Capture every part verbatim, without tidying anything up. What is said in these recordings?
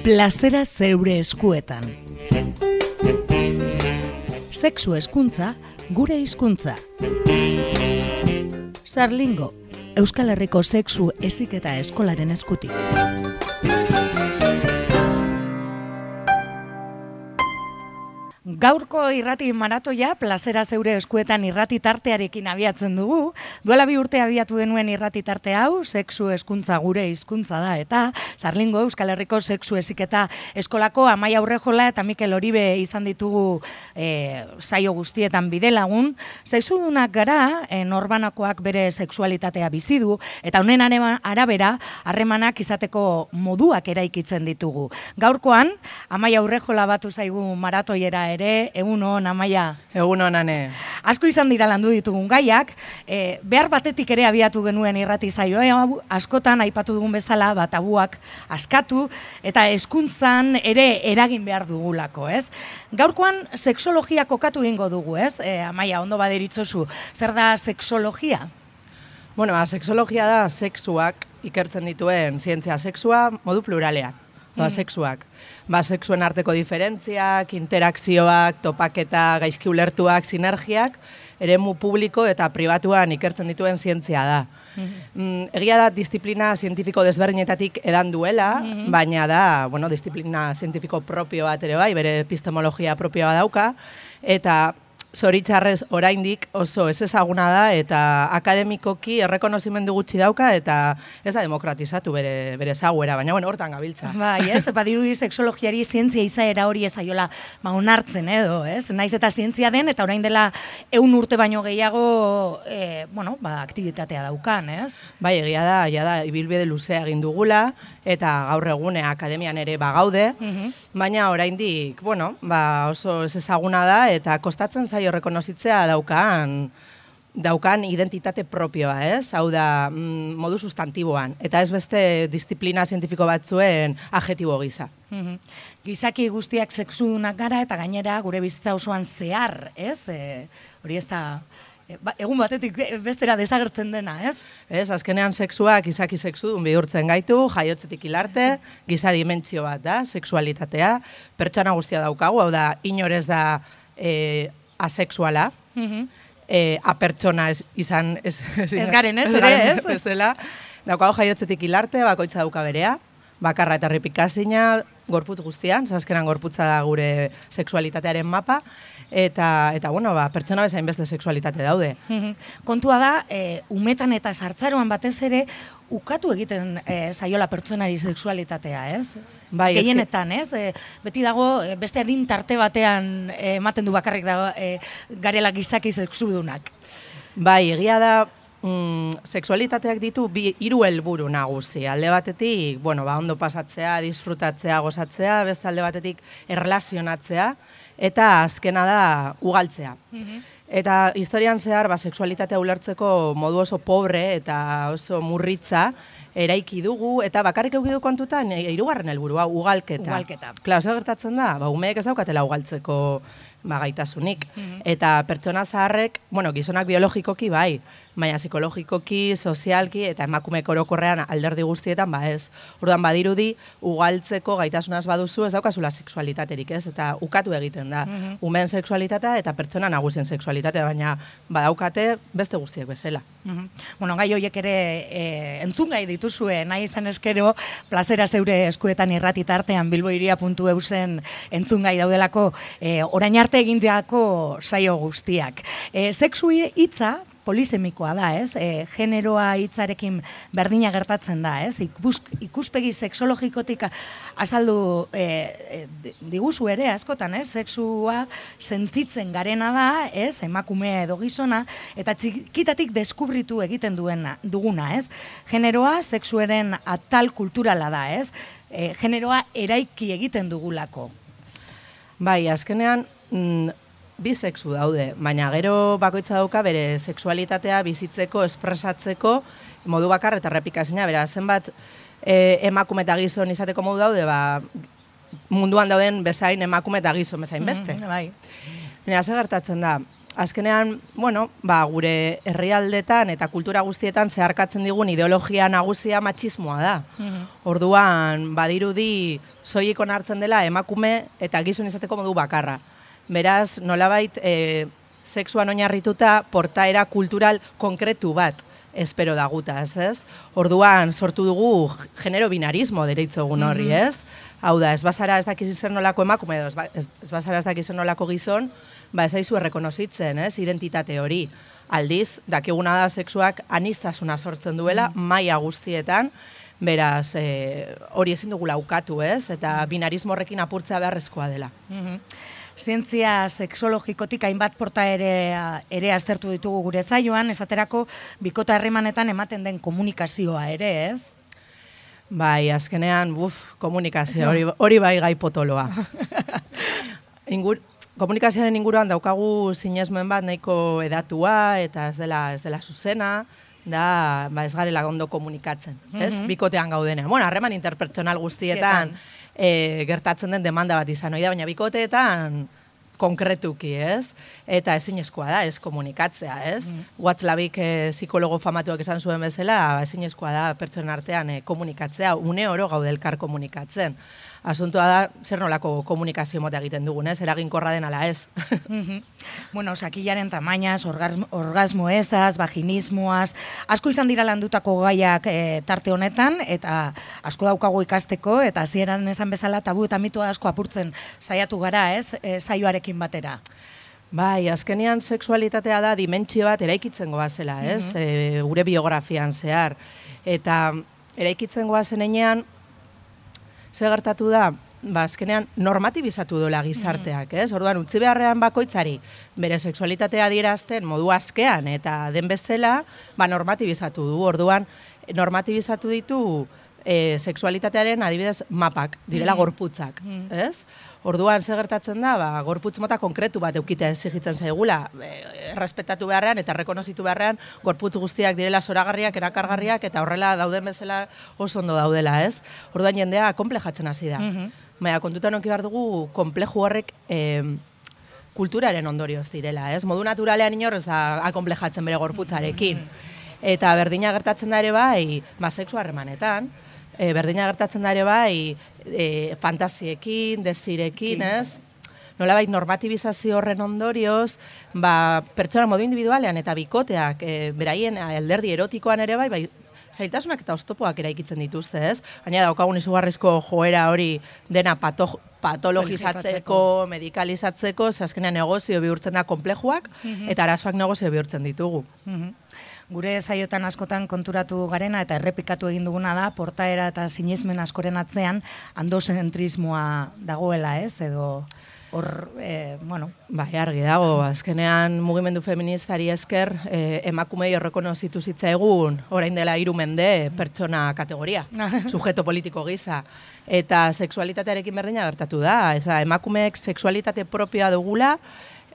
Plazera zeure eskuetan. Sexu hezkuntza, gure hizkuntza. Sarlingo, Euskal Herriko sexu heziketa eskolaren eskutik. Gaurko irrati maratoia, plazera zeure eskuetan irrati tartearekin abiatzen dugu. Duela bi urte abiatu genuen irrati tarte hau, sexu hezkuntza gure hizkuntza da, eta Sarlingo Euskal Herriko sexu heziketa eskolako Amaia Urrejola eta Mikel Oribe izan ditugu e, saio guztietan bidelagun. Sexudunak gara, e, norbanakoak bere sexualitatea bizi du, eta honen arabera harremanak izateko moduak eraikitzen ditugu. Gaurkoan, Amaia Urrejola batu zaigu maratoiera ere, egun hon, Amaia. Egun hon, ane. Asko izan dira landu ditugun gaiak, e, behar batetik ere abiatu genuen irrati saioa, e, askotan aipatu dugun bezala, bat tabuak askatu, eta hezkuntzan ere eragin behar dugulako, ez? Gaurkoan, sexologia kokatu egingo dugu, ez? E, Amaia, ondo baderitzozu, zer da sexologia? Bueno, ba, sexologia da sexuak ikertzen dituen zientzia sexua modu pluralean. Ba, sexuak. Ba, sexuen arteko diferentziak, interakzioak, topaketa, gaizki ulertuak, sinergiak, eremu publiko eta pribatuan ikertzen dituen zientzia da. Mm, egia da, disiplina zientifiko desberdinetatik edan duela, mm-hmm. baina da, bueno, disiplina zientifiko propio bat ere bai, bere epistemologia propioa dauka, eta zoritxarrez oraindik oso ez ezaguna da eta akademikoki errekonozimendu gutxi dauka eta ez da demokratizatu bere, bere ezaguera, baina bueno, hortan gabiltza. Bai, ez, badirudi sexologiari zientzia izaera hori ezaiola ba, onartzen edo, ez? Naiz eta zientzia den eta orain dela ehun urte baino gehiago e, bueno, ba, aktibitatea daukan, ez? Bai, egia da, ja da, ibilbide luzea egin dugula eta gaur egune akademian ere bagaude, mm-hmm. baina oraindik, bueno, ba, oso ez ezaguna da eta kostatzen zaio rekonozitzea daukan daukan identitate propioa, ez? Hau da, mm, modu sustantiboan, eta ez beste disiplina zientifiko batzuen adjetibo gisa. Mm-hmm. Gizaki guztiak sexudunak gara eta gainera gure bizitza osoan zehar, ez? E, hori ez da Ba, egun batetik bestera desagertzen dena, ez? Ez, azkenean sexuak izaki sexudun bihurtzen gaitu, jaiotzetik hilarte, giza dimentsio bat da, sexualitatea, pertsona guztia daukagu, hau da, inorez da e, asexuala, mm-hmm. e, apertsona ez, izan... Ez, ez, ez garen ez, ere, ez? Ez dela, daukagu jaiotzetik hilarte, bakoitza dauka berea, bakarra eta ripikazina, gorputz guztian, azkenan gorputza da gure sexualitatearen mapa, eta, eta bueno, ba, pertsona bezain beste sexualitate daude. Mm-hmm. Kontua da, e, umetan eta sartzaroan batez ere, ukatu egiten e, saiola pertsonari sexualitatea, ez? Bai, gehienetan, ez? E, beti dago, e, beste adin tarte batean e, ematen du bakarrik dago, e, garela gizaki sexudunak. Bai, egia da, mm, sexualitateak ditu bi hiru helburu nagusi. Alde batetik, bueno, ba, ondo pasatzea, disfrutatzea, gozatzea, beste alde batetik erlazionatzea, eta azkena da ugaltzea. Mm-hmm. Eta historian zehar, ba, sexualitatea ulertzeko modu oso pobre eta oso murritza eraiki dugu, eta bakarrik eukidu kontutan, hirugarren helburua, ugalketa. Ugalketa. Klar, oso gertatzen da, ba, umeek ez daukatela ugaltzeko ba, gaitasunik. Mm-hmm. Eta pertsona zaharrek, bueno, gizonak biologikoki bai, baina psikologikoki, sozialki eta emakumeek orokorrean alderdi guztietan, ba ez. Orduan badirudi, ugaltzeko gaitasunaz baduzu ez daukazula sexualitaterik, ez? Eta ukatu egiten da. Mm-hmm. Umeen sexualitatea eta pertsona nagusien sexualitatea, baina badaukate beste guztiek bezala. Mm-hmm. Bueno, gai horiek ere e, entzun gai dituzue, nahi izan eskero, plazera zeure eskuetan irrati tartean bilboiria puntu eu zen entzun gai daudelako e, orain arte egindeako saio guztiak. E, sexu hitza polisemikoa da, ez? E, generoa hitzarekin berdina gertatzen da, ez? Ikus, ikuspegi sexologikotik azaldu e, e, diguzu ere askotan, ez? Sexua sentitzen garena da, ez? Emakumea edo gizona, eta txikitatik deskubritu egiten duena, duguna, ez? Generoa sexuaren atal kulturala da, ez? E, generoa eraiki egiten dugulako. Bai, azkenean, mm, bi sexu daude, baina gero bakoitza dauka bere sexualitatea bizitzeko, espresatzeko, modu bakar eta errepikazina, bera, zenbat e, emakume eta gizon izateko modu daude, ba, munduan dauden bezain emakume eta gizon bezain beste. Mm, bai. Baina, ze gertatzen da, azkenean, bueno, ba, gure herrialdetan eta kultura guztietan zeharkatzen digun ideologia nagusia matxismoa da. Orduan, badirudi soilik onartzen dela emakume eta gizon izateko modu bakarra. Beraz, nolabait, e, sexuan oinarrituta portaera kultural konkretu bat espero dagutaz, ez? Orduan, sortu dugu genero binarismo dereitzogun horri, ez? Hau da, ez bazara ez dakiz zer nolako emakume edo, ez, ez bazara ez dakiz zer nolako gizon, ba ez aizu errekonozitzen, ez? Identitate hori. Aldiz, dakiguna da sexuak aniztasuna sortzen duela, maila guztietan, beraz, e, hori ezin dugu laukatu, ez? Eta binarismo horrekin apurtzea beharrezkoa dela. Zientzia sexologikotik hainbat porta ere, ere aztertu ditugu gure zaioan, esaterako bikota harremanetan ematen den komunikazioa ere, ez? Bai, azkenean, buf, komunikazio, hori, hori bai gai potoloa. Ingur, komunikazioaren inguruan daukagu sinesmen bat nahiko edatua eta ez dela, ez dela zuzena, da, ba ez garela ondo komunikatzen, ez? Bikotean gaudenean. Bueno, harreman interpertsonal guztietan e, gertatzen den demanda bat izan, oida, baina bikoteetan konkretuki, ez? Eta ezinezkoa da, ez komunikatzea, ez? Mm. WhatsAppik e, psikologo famatuak esan zuen bezala, ezinezkoa da pertsonen artean e, komunikatzea, une oro gaude elkar komunikatzen. Asuntoa da, zer nolako komunikazio mota egiten dugun, ez? Eraginkorra den ala ez. Bueno, sakilaren tamainaz, orgasmo, orgasmo ezaz, vaginismoaz, asko izan dira landutako gaiak e, tarte honetan, eta asko daukagu ikasteko, eta hasieran esan bezala tabu eta mito asko apurtzen saiatu gara, ez? E, saioarekin batera. Bai, azkenean sexualitatea da dimentsio bat eraikitzen goazela, ez? Mm -hmm. e, gure biografian zehar. Eta eraikitzen goazen enean, ze gertatu da, ba, azkenean normatibizatu dola gizarteak, ez? Orduan, utzi beharrean bakoitzari bere sexualitatea adierazten modu askean eta den bezala, ba, normatibizatu du. Orduan, normatibizatu ditu e, sexualitatearen adibidez mapak, direla gorputzak, ez? Orduan, ze gertatzen da, ba, gorputz mota konkretu bat eukitea exigitzen zaigula, e, errespetatu beharrean eta rekonozitu beharrean gorputz guztiak direla zoragarriak, erakargarriak eta horrela dauden bezala oso ondo daudela, ez? Orduan jendea konplejatzen hasi da. Mm-hmm. Baina, kontutan onki behar dugu, konpleju horrek e, kulturaren ondorioz direla, ez? Modu naturalean inorrez da akonplejatzen bere gorputzarekin. Eta berdina gertatzen da ere bai, ba, sexu harremanetan, E, berdina gertatzen da ere bai e, fantasiekin, desirekin, ez? Nolabait normatibizazio horren ondorioz, ba, pertsona modu individualean eta bikoteak e, beraien alderdi erotikoan ere bai, bai zailtasunak eta oztopoak eraikitzen dituzte, ez? Baina daukagun izugarrizko joera hori dena pato, patologizatzeko, medikalizatzeko, ze azkenean negozio bihurtzen da konplejuak, mm-hmm. eta arazoak negozio bihurtzen ditugu. Mm-hmm. Gure saiotan askotan konturatu garena eta errepikatu egin duguna da, portaera eta sinesmen askoren atzean andozentrismoa dagoela, ez? Edo hor, e, bueno... Bai, argi dago, azkenean mugimendu feministari esker e, emakumei horrekonozitu zitzaigun orain dela hiru mende pertsona kategoria, sujeto politiko gisa. Eta sexualitatearekin berdina gertatu da, eza, emakumeek sexualitate propioa dugula,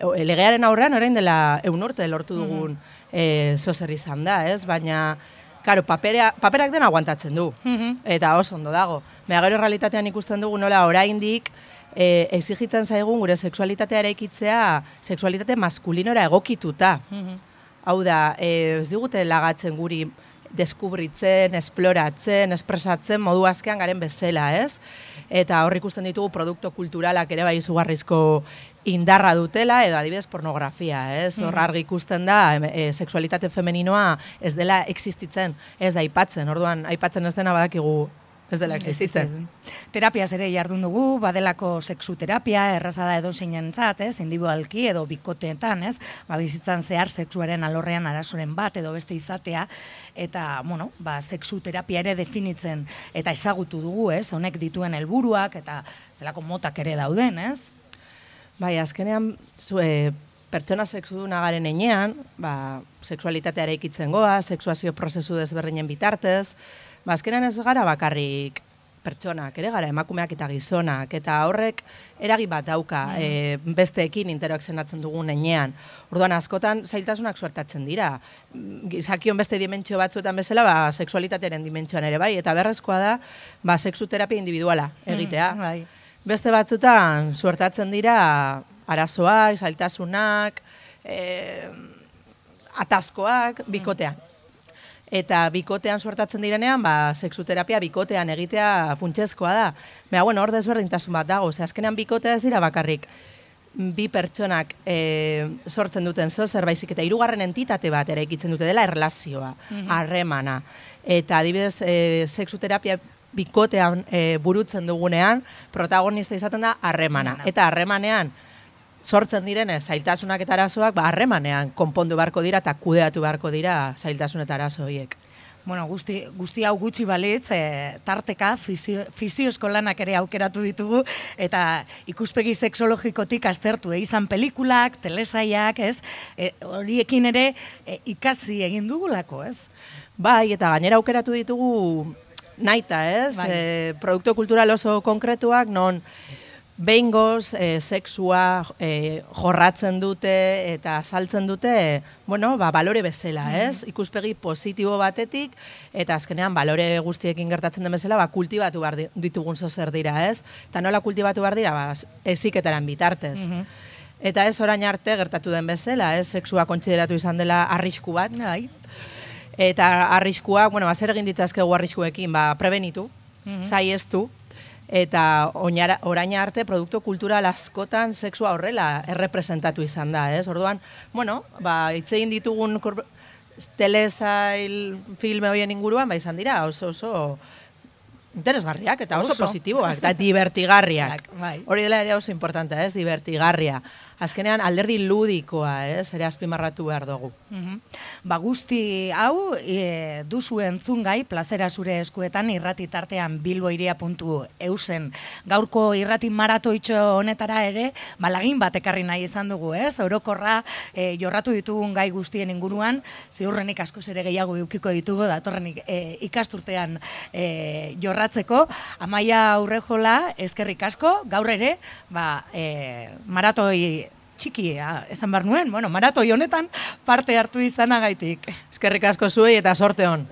legearen aurrean orain dela ehun urte lortu dugun mm-hmm. E, zozer izan da, ez? Baina, karo, papera, paperak den aguantatzen du, mm-hmm. eta oso ondo dago. Baina gero realitatean ikusten dugu nola oraindik e, exigitzen zaigun gure sexualitatea eraikitzea sexualitate maskulinora egokituta. Mm-hmm. Hau da, e, ez digute lagatzen guri deskubritzen, esploratzen, espresatzen modu askean garen bezala, ez? Eta hor ikusten ditugu produktu kulturalak ere bai izugarrizko indarra dutela, edo adibidez pornografia, ez? Hor argi ikusten da, e, sexualitate femeninoa ez dela existitzen, ez da aipatzen, orduan aipatzen ez dena badakigu ez dela existitzen. Terapiaz ere jardun dugu, badelako sexu terapia, erraza da edo zeinentzat, ez? Individualki edo bikoteetan, ez? Ba, bizitzan zehar sexuaren alorrean arazoren bat edo beste izatea, eta, bueno, ba, sexu terapia ere definitzen eta ezagutu dugu, ez? Honek dituen helburuak eta zelako motak ere dauden, ez? Bai, azkenean, zue, pertsona sexuduna garen enean, ba, sexualitatea eraikitzen goa, sexuazio prozesu desberdinen bitartez, ba, azkenean ez gara bakarrik pertsonak, ere gara emakumeak eta gizonak, eta horrek eragin bat dauka mm. e, besteekin interakzionatzen dugun enean. Orduan, askotan zailtasunak suertatzen dira. Gizakion beste dimentsio batzuetan bezala, ba, sexualitatearen dimentsioan ere bai, eta berrezkoa da, ba, sexu terapia individuala egitea. Mm, bai. Beste batzutan suertatzen dira arazoak, zailtasunak, e, ataskoak bikotean. Eta bikotean suertatzen direnean, ba, sexuterapia bikotean egitea funtsezkoa da. Baina, bueno, hor desberdintasun bat dago, ze azkenean bikotea ez dira bakarrik bi pertsonak e, sortzen duten zo zerbaizik eta hirugarren entitate bat eraikitzen dute dela erlazioa, harremana. Eta adibidez, e, sexuterapia bikotean e, burutzen dugunean, protagonista izaten da harremana. Eta harremanean sortzen direne zailtasunak eta arazoak, ba harremanean konpondu beharko dira eta kudeatu beharko dira zailtasun eta arazo horiek. Bueno, guzti, guzti hau gutxi balitz, e, tarteka, fisio, fisiozko lanak ere aukeratu ditugu, eta ikuspegi sexologikotik aztertu, e, izan pelikulak, telesaiak, ez? E, horiekin ere e, ikasi egin dugulako, ez? Bai, eta gainera aukeratu ditugu naita, ez? Bai. E, produktu kultural oso konkretuak, non behingoz, e, sexua e, jorratzen dute eta saltzen dute, bueno, ba, balore bezala, ez? Ikuspegi positibo batetik, eta azkenean balore guztiekin gertatzen den bezala, ba, kultibatu behar ditugun zozer dira, ez? Eta nola kultibatu behar dira, ba, eziketaren bitartez. Eta ez orain arte gertatu den bezala, ez? Sexua kontsideratu izan dela arrisku bat. Bai. Eta arriskua, bueno, ba, zer egin ditzazkegu arriskuekin, ba, prebenitu, saiheztu, eta oinara, orain arte produktu kultural askotan sexua horrela errepresentatu izan da, ez? Orduan, bueno, ba, hitz egin ditugun telesail filme horien inguruan, ba, izan dira, oso oso interesgarriak eta oso, oso. positiboak, eta divertigarriak. Bai. Hori dela ere oso importantea, ez? Divertigarria. Azkenean alderdi ludikoa, ez? Ere azpimarratu behar dugu. Uh-huh. Ba, guzti hau e, duzu entzungai, plazera zure eskuetan irrati tartean bilboiria puntu eusen. Gaurko irrati maratoitxo honetara ere, balagin bat ekarri nahi izan dugu, ez? Orokorra e, jorratu ditugun gai guztien inguruan, ziurrenik askoz ere gehiago eukiko ditugu, datorrenik e, ikasturtean e, jorratzeko. Amaia Urrejola, eskerrik asko, gaur ere, ba, e, maratoi txiki, esan behar nuen, bueno, maratoi honetan parte hartu izanagaitik. Eskerrik asko zuei eta sorte hon.